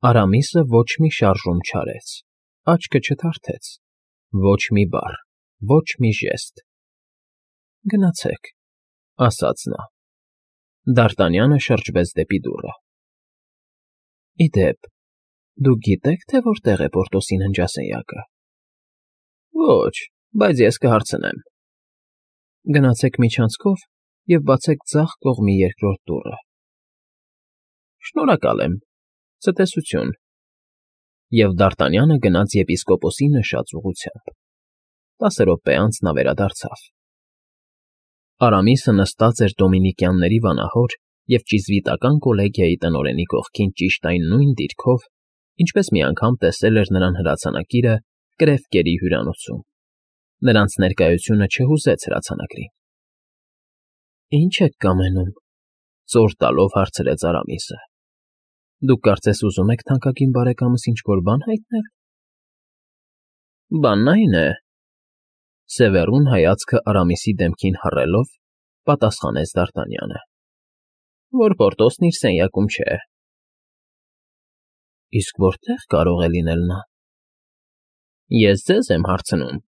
Արամիսը ոչ մի շարժում չարեց, աչքը չթարթեց, ոչ մի բառ, ոչ մի ժեստ։ «Գնացեք», ասաց նա։ Դ'Արտանյանը շրջվեց դեպի դուռը։ «Ի դեպ, դուք գիտե՞ք, թե որտեղ է Պորտոսի ննջասենյակը»։ «Ոչ, բայց ես կհարցնեմ»։ «Գնացեք միջանցքով և բացեք ձախ կողմի երկրորդ դուռը»։ «Շնորհակալ եմ, ցտեսություն»։ Եվ Դ'Արտանյանը գնաց եպիսկոպոսի նշած ուղղությամբ։ 10 րոպե անց նա վերադարձավ։ Արամիսը նստած էր դոմինիկյանների վանահոր և ճիզվիտական կոլեգիայի տնօրենի կողքին ճիշտ այն նույն դիրքով, ինչպես մի անգամ տեսել էր նրան հրացանակիրը Կրևկերի հյուրանոցում։ Նրանց ներկայությունը չհուզեց հրացանակրին։ «Ի՞նչ եք կամենում», ծոր տալով հարցրեց Արամիսը։ «Դուք կարծես ուզում եք թանկագին բարեկամս ինչ֊որ բան հայտնել»։ «Բանն այն է», սևեռուն հայացքը Արամիսի դեմքին հառելով, պատասխանեց Դ'Արտանյանը, «որ Պորտոսն իր սենյակում չէ»։ «Իսկ որտե՞ղ կարող է լինել նա»։ «Ես ձեզ եմ հարցնում»։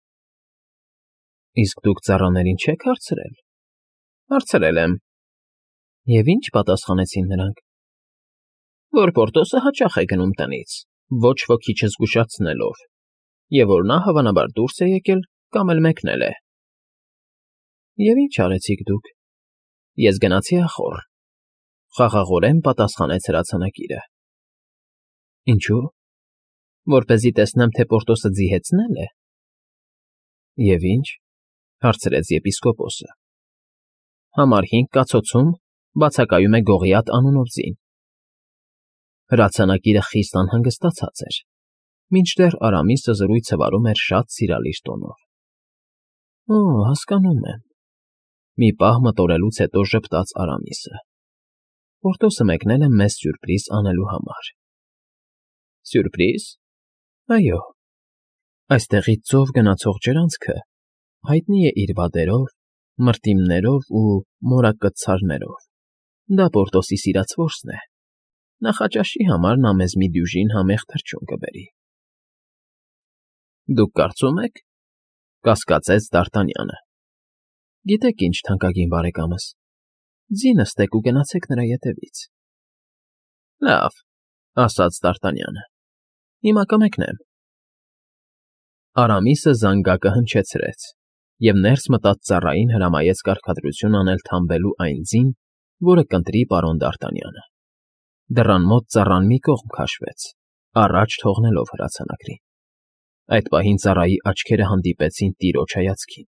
«Իսկ դուք ծառաներին չե՞ք հարցրել»։ «Հարցրել եմ»։ «Եվ ի՞նչ պատասխանեցին նրանք»։ «Որ Պորտոսը հաճախ է գնում տնից, ոչ ոքի չզգուշացնելով, և որ նա, հավանաբար, դուրս է եկել կամ էլ մեկնել է»։ «Եվ ի՞նչ արեցիք դուք»։ «Ես գնացի ախոռ», խաղաղորեն պատասխանեց հրացանակիրը։ «Ինչո՞ւ»։ «Որպեսզի տեսնեմ, թե Պորտոսը ձիհեցնե՞լ է»։ «Եվ ի՞նչ», հարցրեց եպիսկոպոսը։ «Համար 5 կացոցում բացակայում է Գողիաթ անունով ձին»։ Հրացանակիրը խիստ անհանգստացած էր, մինչդեռ Արամիսը զրույցը վարում էր շատ սիրալիր տոնով։ «Օ, հասկանում եմ»։ Մի պահ մտորելուց հետո ժպտաց Արամիսը։ «Պորտոսը մեկնել է մեզ սյուրպրիզ անելու համար»։ «Սյուրպրի՞զ»։ «Այո։ Այստեղից ծով գնացող ջրանցքը հայտնի է իր վատերով, մրտիմներով ու մորակկցարներով։ Դա Պորտոսի սիրած որսն է։ Նախաճաշի համար նա մեզ մի դյուժին համեղ թռչուն կբերի»։ «Դուք կարծում եք»։ Կասկածեց Դ'Արտանյանը։ «Գիտեք ինչ, թանկագին բարեկամս, ձի նստեք ու գնացեք նրա ետևից»։ «Լավ», ասաց Դ'Արտանյանը, «հիմա կմեկնեմ»։ Արամիսը զանգակը հնչեցրեց և ներս մտած ծառային հրամայեց կարգադրություն անել թամբելու այն ձին, որը կընտրի պարոն Դ'Արտանյանը։ Դռան մոտ ծառան մի կողմ քաշվեց, առաջ թողնելով հրացանակրին։ Այդ պահին ծառայի աչքերը հանդիպեցին տիրոջ հայացքին։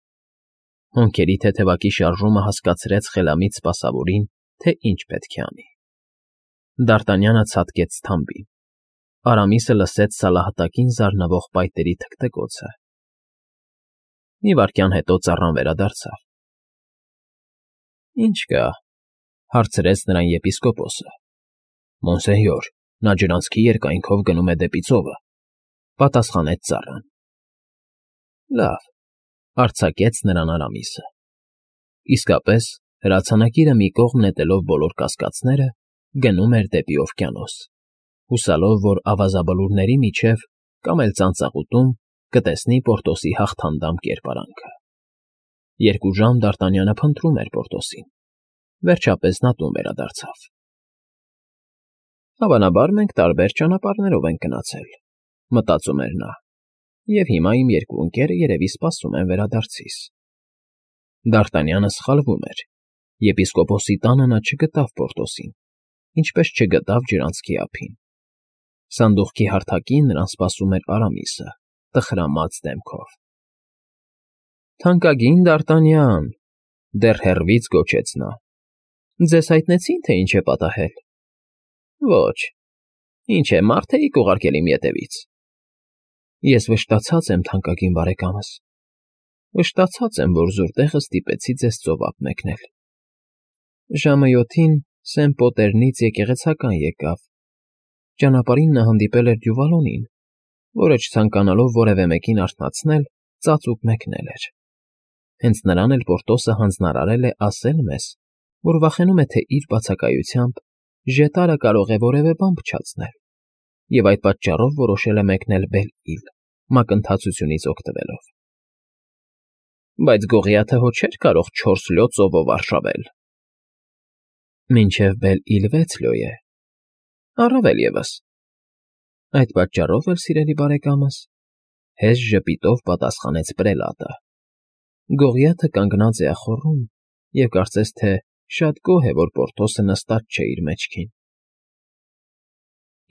Հոնքերի թեթևակի շարժումը հասկացրեց խելամիտ սպասավորին, թե ինչ պետք է անի։ Դ'Արտանյանը ցատկեց թամբին։ Արամիսը լսեց սալահատակին զարնվող պայտերի թքթքոցը։ Մի վայրկյան հետո ծառան վերադարձավ։ «Ի՞նչ կա», հարցրեց նրան եպիսկոպոսը։ «Մոնսենյոր, նա ջրանցքի երկայնքով գնում է դեպի ծովը», պատասխանեց ծառան։ «Լավ», արձակեց նրան Արամիսը։ Իսկապես, հրացանակիրը մի կողմ նետելով բոլոր կասկածները, գնում էր դեպի օվկիանոս, հուսալով, որ ավազաբլուրների միջև կամ էլ ծանծաղուտում կտեսնի Պորտոսի հաղթանդամ կերպարանքը։ 2 ժամ Դ'Արտանյանը փնտրում էր Պորտոսին։ Վերջապես նա տուն վերադարձավ։ «Հավանաբար մենք տարբեր ճանապարհներով ենք գնացել», մտածում էր նա, «և հիմա իմ երկու ընկերը երևի սպասում են վերադարձիս»։ Դ'Արտանյանը սխալվում էր։ Եպիսկոպոսի տանը նա չգտավ Պորտոսին, ինչպես չգտավ ջրանցքի ափին։ Սանդուղքի հարթակին նրան սպասում էր Արամիսը, տխրամած դեմքով։ «Թանկագին Դ'Արտանյան», դեռ հեռվից գոչեց նա, «ձեզ հայտնեցի՞ն, թե ինչ է պատահել»։ «Ոչ։ Ինչ է, մարդ էիք ուղարկել իմ ետևից»։ «Ես վշտացած եմ, թանկագին բարեկամս, վշտացած եմ, որ զուր տեղը ստիպեցի ձեզ ծով ափ մեկնել։ Ժամը 7-ին Սեն Պոտերնից եկեղեցական եկավ։ Ճանապարհին նա հանդիպել էր Դյուվալոնին, որը չցանկանալով որևէ մեկին արթնացնել, ծածուկ մեկնել էր։ Հենց նրան էլ Պորտոսը հանձնարարել է ասել մեզ, որ վախենում է, թե իր բացակայությամբ ժետարը կարող է որևէ բան փչացնել, և այդ պատճառով որոշել է մեկնել Բել֊Իլ, մակընթացությունից օգտվելով։ Բայց Գողիաթը հո չէր կարող 4 լյո ծովով արշավել։ Մինչև Բել֊Իլ 6 լյո է, առավել ևս։ Այդ պատճառով էլ, սիրելի բարեկամս, հեզ ժպիտով պատասխանեց պրելատը։ Գողիաթը կանգնած է ախոռում և կարծես թե շատ գոհ է, որ Պորտոսը նստած չէ իր մեջքին։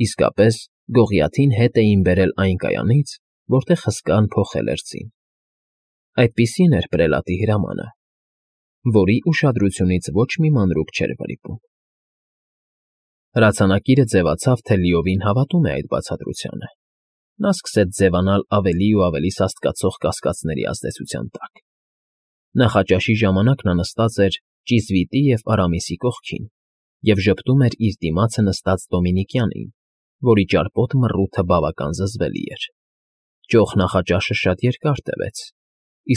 Իսկապես, Գողիաթին հետ էին բերել այն կայանից, որտեղ հսկան փոխել էր ձին։ Այդպիսին էր պրելատի հրամանը, որի ուշադրությունից ոչ մի մանրուք չէր վրիպում։ Հրացանակիրը ձևացավ, թե լիովին հավատում է այդ բացատրությանը։ Նա սկսեց ձևանալ ավելի ու ավելի սաստկացող կասկածների ազդեցության տակ։ Նախաճաշի ժամանակ նա նստած էր ճիզվիտի և Արամիսի կողքին և ժպտում էր իր դիմացը նստած Դոմինիկյանին, որի ճարպոտ մռութը բավական զզվելի էր։ Ճոխ նախաճաշը շատ երկար տևեց։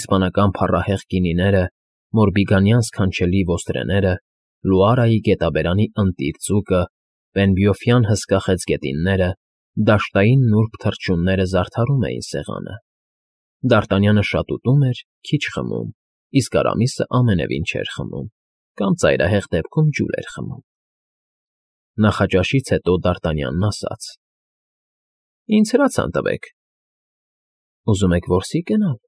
Իսպանական փառահեղ գինիները, մորբիգանյան սքանչելի ոստրեները, Լուարայի գետաբերանի ընտիր ձուկը, Պենբյոֆյան հսկա խեցգետինները, դաշտային նուրբ թռչունները զարդարում էին սեղանը։ Դարտանյանը շատ ուտում էր, քիչ խմում, իսկ Արամիսը ամենևին չէր խմում, կամ ծայրահեղ դեպքում ջուր էր խմում։ Նախաճաշից հետո Դարտանյանն ասաց. Ինձ հրացան տվեք։ Ուզում եք որսի գնալ։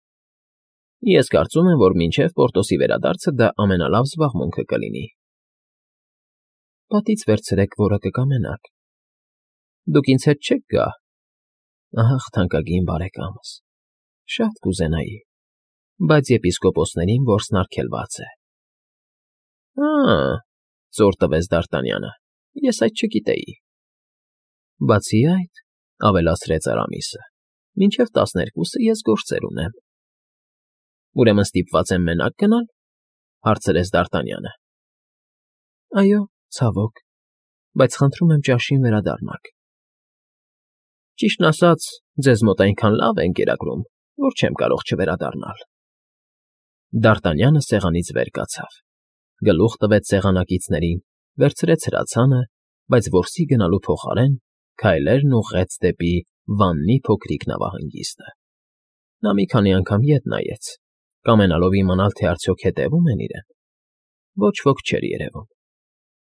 Ես կարծում եմ, որ մինչև Պորտոսի վերադարձը դա ամենալավ զբաղմունքը կլինի։ Պատից վերցրեք, որը կկամենաք։ Դուք ինձ հետ չեք գա։ Ահ, թանկագին բարեկամս, շատ կուզենայի, բայց եպիսկոպոսներին որսն արգելված է։ Ծոր տվեց Դարտանյանը, ես այդ չգիտեի։ Բացի այդ, ավելացրեց Արամիսը, մինչև 12-ը ես գործեր ունեմ։ Ուրեմն ստիպված եմ մենակ գնալ, հարցրեց Դարտանյանը։ Այո, ցավոք, բայց խնդրում եմ ճաշին վերադառնաք։ Ճիշտն ասած, ձեզ մոտ այնքան լավ են կերակրում, որ չեմ կարող չվերադառնալ։ Դարտանյանը սեղանից վեր կացավ, գլուխ տվեց սեղանակիցներին, վերցրեց հրացանը, բայց որսի գնալու փոխարեն քայլերն ուղղեց դեպի Վաննի փոքրիկ նավահանգիստը։ Նա մի քանի անգամ ետ նայեց, կամենալով իմանալ, թե արդյոք հետևում են իրեն։ Ոչ ոք չէր երևում։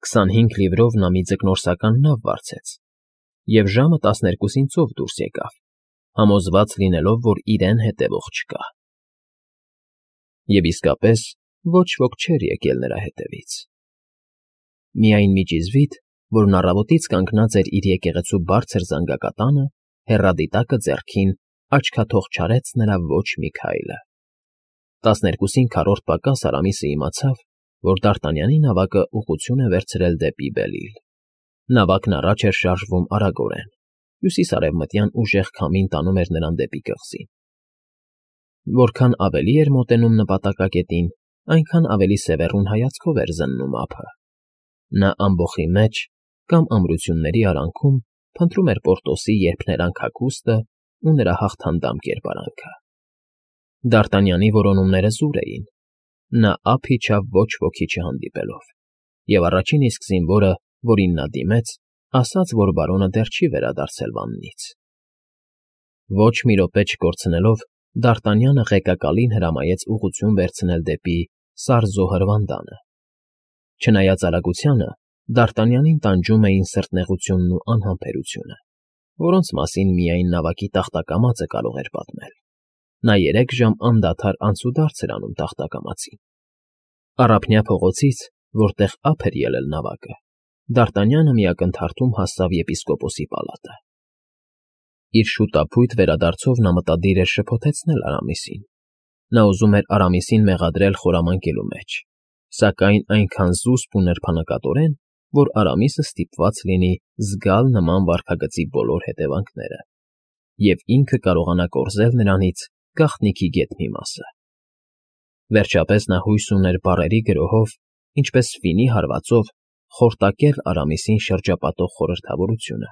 25 լիվրով նա մի ձկնորսական նավ վարձեց և ժամը 12-ին ծով դուրս եկավ, համոզված լինելով, որ իրեն հետևող չկա։ Եվ իսկապես ոչ ոք չէր եկել նրա հետևից։ Միայն մի ճիզվիտ, որն առավոտից կանգնած էր իր եկեղեցու բարձր զանգակատանը, հեռադիտակը ձեռքին, աչքաթող չարեց նրա ոչ մի քայլը։ 12-ին քառորդ պակաս Արամիսը իմացավ, որ Դարտանյանի նավակը ուղղություն է վերցրել դեպի Բել֊Իլ։ Նավակն առաջ էր շարժվում արագորեն, հյուսիս֊արևմտյան ուժեղ քամին տանում էր նրան դեպի կղզին։ Որքան ավելի էր մոտենում նպատակակետին, այնքան ավելի սևեռուն հայացքով էր զննում ափը։ Նա ամբոխի մեջ կամ ամրությունների արանքում փնտրում էր Պորտոսի երփներանգ հագուստը ու նրա հաղթանդամ կերպարանքը։ Դարտանյանի որոնումները զուր էին։ Նա ափ իջավ ոչ ոքի չհանդիպելով, և առաջին իսկ զինվորը, որին նա դիմեց, ասաց, որ բարոնը դեռ չի վերադարձել Վաննից։ Ոչ մի րոպե չկորցնելով, Դարտանյանը ղեկակալին հրամայեց ուղղություն վերցնել դեպի Սարզո հրվանդանը։ Չնայած արագությանը, Դարտանյանին տանջում էին սրտնեղությունն ու անհամբերությունը, որոնց մասին միայն նավակի տախտակամածը կարող էր պատմել։ Նա 3 ժամ անդադար անցուդարձ էր անում տախտակամածին։ Առափնյա փողոցից, որտեղ ափ էր ելել նավակը, Դարտանյանը մի ակնթարթում հասավ եպիսկոպոսի պալատը։ Իր շուտափույթ վերադարձով նա մտադիր էր շփոթեցնել Արամիսին։ Նա ուզում էր Արամիսին մեղադրել խորամանկելու մեջ, սակայն այնքան զուսպ ու նրբանկատորեն, որ Արամիսը ստիպված լինի զգալ նման վարքագծի բոլոր հետևանքները, և ինքը կարողանա կորզել նրանից գաղտնիքի գեթ մի մասը։ Վերջապես նա հույս ուներ բառերի գրոհով, ինչպես ֆինի հարվածով, խորտակել Արամիսին շրջապատող խորհրդավորությունը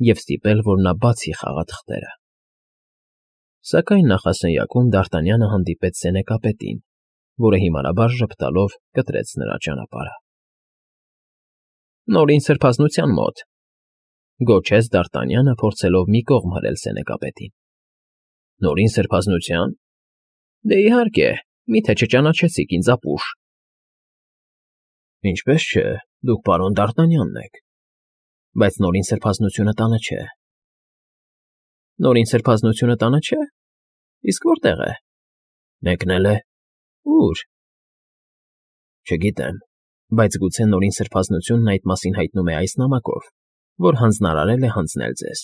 և ստիպել, որ նա բացի խաղաթղթերը։ Սակայն նախասենյակում Դարտանյանը հանդիպեց սենեկապետին, որը հիմարաբար ժպտալով կտրեց նրա ճանապարհը։ Նորին սրբազնության մոտ, Գոչեց Դարտանյանը, փորձելով մի կողմ հրել սենեկապետին։ Նորին սրբազնությա՞ն։ Դե իհարկե, միթե չճանաչեցիք ինձ ապուշ։ Ինչպես չէ, դուք պարոն Դարտանյանն եք, բայց նորին սրբազնությունը տանը չէ։ Նորին սրբազնությունը տանը չէ։ Իսկ որտեղ է։ Մեկնել է։ Ուր։ Չգիտեմ, բայց գուցե նորին սրբազնությունն այդ մասին հայտնում է այս նամակով, որ հանձնարարել է հանձնել ձեզ։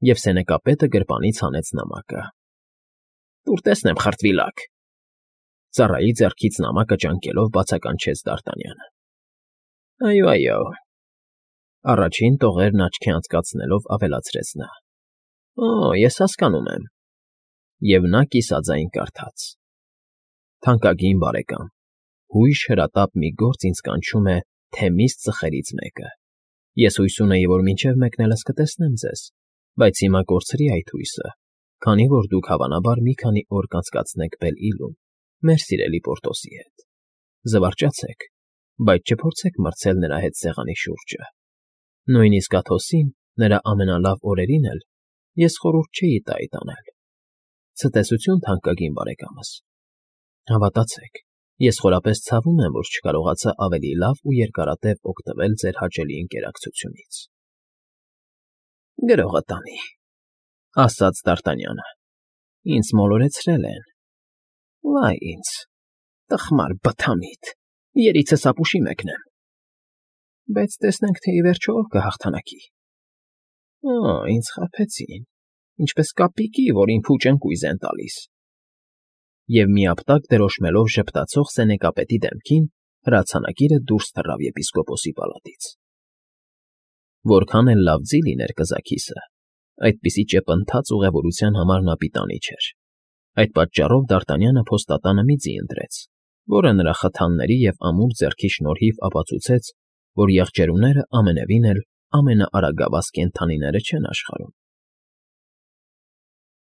Եվ սենեկապետը գրպանից հանեց նամակը։ Տուր տեսնեմ, խրտվիլակ։ Ծառայի ձեռքից նամակը ճանկելով բացականչեց Դարտանյանը։ Այո։ Առաջին տողերն աչքի անցկացնելով ավելացրեց նա։ Ես հասկանում եմ։ Եվ նա կիսաձայն կարդաց. Թանկագին բարեկամ, հույժ հրատապ մի գործ ինձ կանչում է թեմիս ծխերից մեկը։ Ես հույս ունեի, որ մինչև մեկնելս կտեսնեմ ձեզ, բայց հիմա կորցրի այդ հույսը, քանի որ դուք հավանաբար մի քանի օր կանցկացնեք Բել֊Իլում, մեր սիրելի Պորտոսի հետ։ Զվարճացեք, բայց չփորձեք մրցել նրա հետ սեղանի շուրջը։ Նույնիսկ Աթոսին, նրա ամենալավ օրերին էլ ես խորհուրդ չէի տա այդ անել։ Ցտեսություն, թանկագին բարեկամս։ Հավատացեք, ես խորապես ցավում եմ, որ չկարողացա ավելի լավ ու երկարատև օգտվել ձեր հաճելի ընկերակցությունից։ Գրողը տանի, ասաց Դարտանյանը։ Ինձ մոլորեցրել են։ Վայ ինձ, տխմար բթամիտ, երիցս ապուշի մեկնեմ։ Բայց տեսնենք, թե ի վերջո ով կհաղթանակի։ Ինձ խաբեցին, ինչպես կապիկի, որին փուչ ընկույզ են տալիս։ Եվ միապտակ դրոշմելով ժպտացող սենեկապետի դեմքին, հրացանակիրը դուրս թռավ եպիսկոպոսի պալատից։ Որքան էլ լավ ձի լիներ կզաքիսը, այդպիսի ճեպընթաց ուղևորության համար նա պիտանի չէր։ Այդ պատճառով Դարտանյանը փոստատանը մի ձի ընտրեց, որը նրա խթանների և ամուր ձեռքի շնորհիվ ապացուցեց, որ եղջերուները ամենևին էլ ամենաարագավազ կենդանիները չեն աշխարհում։